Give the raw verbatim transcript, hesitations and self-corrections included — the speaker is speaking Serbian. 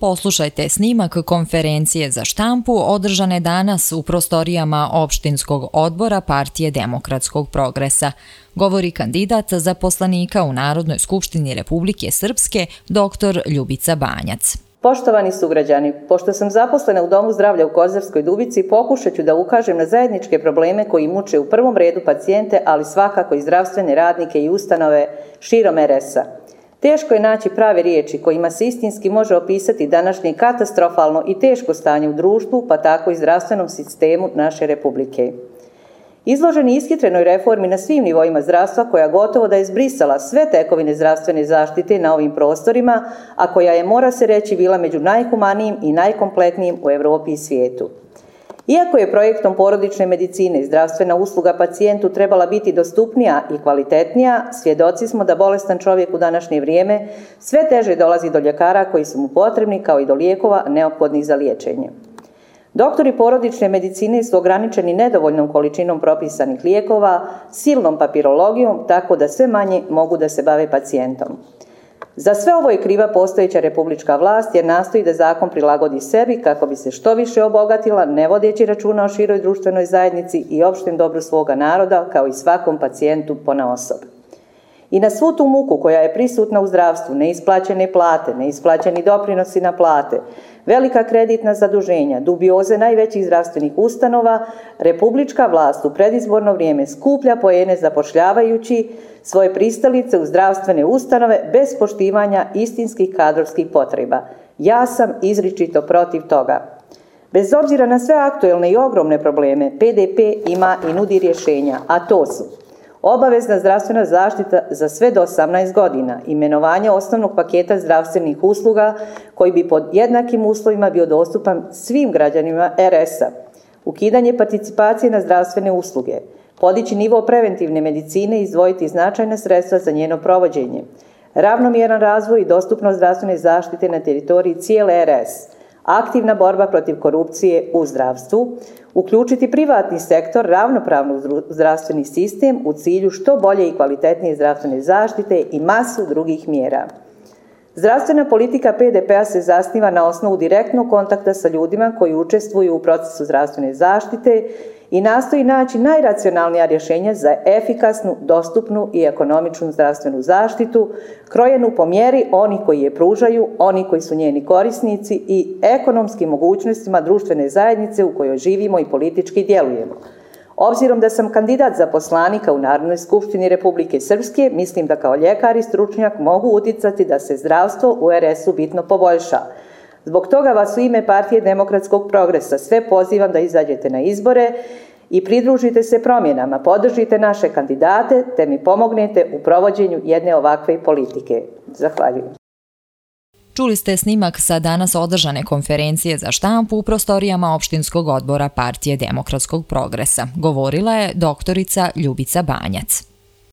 Poslušajte snimak konferencije za štampu održane danas u prostorijama opštinskog odbora Partije demokratskog progresa. Govori kandidat za poslanika u Narodnoj skupštini Republike Srpske, doktor Ljubica Banjac. Poštovani sugrađani, pošto sam zaposlena u Domu zdravlja u Kozarskoj Dubici, pokušat ću da ukažem na zajedničke probleme koji muče u prvom redu pacijente, ali svakako i zdravstvene radnike i ustanove širom er es a. Teško je naći prave riječi kojima se istinski može opisati današnje katastrofalno i teško stanje u društvu, pa tako i zdravstvenom sistemu naše Republike. Izloženi ishitrenoj reformi na svim nivoima zdravstva, koja gotovo da je zbrisala sve tekovine zdravstvene zaštite na ovim prostorima, a koja je, mora se reći, bila među najhumanijim i najkompletnijim u Evropi i svijetu. Iako je projektom porodične medicine i zdravstvena usluga pacijentu trebala biti dostupnija i kvalitetnija, svjedoci smo da bolestan čovjek u današnje vrijeme sve teže dolazi do ljekara koji su mu potrebni, kao i do lijekova neophodnih za liječenje. Doktori porodične medicine su ograničeni nedovoljnom količinom propisanih lijekova, silnom papirologijom, tako da sve manje mogu da se bave pacijentom. Za sve ovo je kriva postojeća republička vlast, jer nastoji da zakon prilagodi sebi kako bi se što više obogatila, ne vodeći računa o široj društvenoj zajednici i opštem dobru svoga naroda, kao i svakom pacijentu ponaosob. I na svu tu muku koja je prisutna u zdravstvu, neisplaćene plate, neisplaćeni doprinosi na plate, velika kreditna zaduženja, dubioze najvećih zdravstvenih ustanova, republička vlast u predizborno vrijeme skuplja poene zapošljavajući svoje pristalice u zdravstvene ustanove bez poštivanja istinskih kadrovskih potreba. Ja sam izričito protiv toga. Bez obzira na sve aktuelne i ogromne probleme, pe de pe ima i nudi rješenja, a to su: obavezna zdravstvena zaštita za sve do osamnaest godina, imenovanje osnovnog paketa zdravstvenih usluga koji bi pod jednakim uslovima bio dostupan svim građanima er es a, ukidanje participacije na zdravstvene usluge, podići nivo preventivne medicine i izdvojiti značajna sredstva za njeno provođenje, ravnomjeran razvoj i dostupnost zdravstvene zaštite na teritoriji cijele er es, aktivna borba protiv korupcije u zdravstvu, uključiti privatni sektor ravnopravno u zdravstveni sistem u cilju što bolje i kvalitetnije zdravstvene zaštite i masu drugih mjera. Zdravstvena politika pe de pe a se zasniva na osnovu direktnog kontakta sa ljudima koji učestvuju u procesu zdravstvene zaštite i nastoji naći najracionalnija rješenja za efikasnu, dostupnu i ekonomičnu zdravstvenu zaštitu, krojenu po mjeri onih koji je pružaju, oni koji su njeni korisnici i ekonomskim mogućnostima društvene zajednice u kojoj živimo i politički djelujemo. Obzirom da sam kandidat za poslanika u Narodnoj skupštini Republike Srpske, mislim da kao ljekar i stručnjak mogu uticati da se zdravstvo u er es u bitno poboljša. Zbog toga vas u ime Partije demokratskog progresa sve pozivam da izađete na izbore i pridružite se promjenama, podržite naše kandidate te mi pomognete u provođenju jedne ovakve politike. Zahvaljujem. Čuli ste snimak sa danas održane konferencije za štampu u prostorijama opštinskog odbora Partije demokratskog progresa. Govorila je doktorica Ljubica Banjac.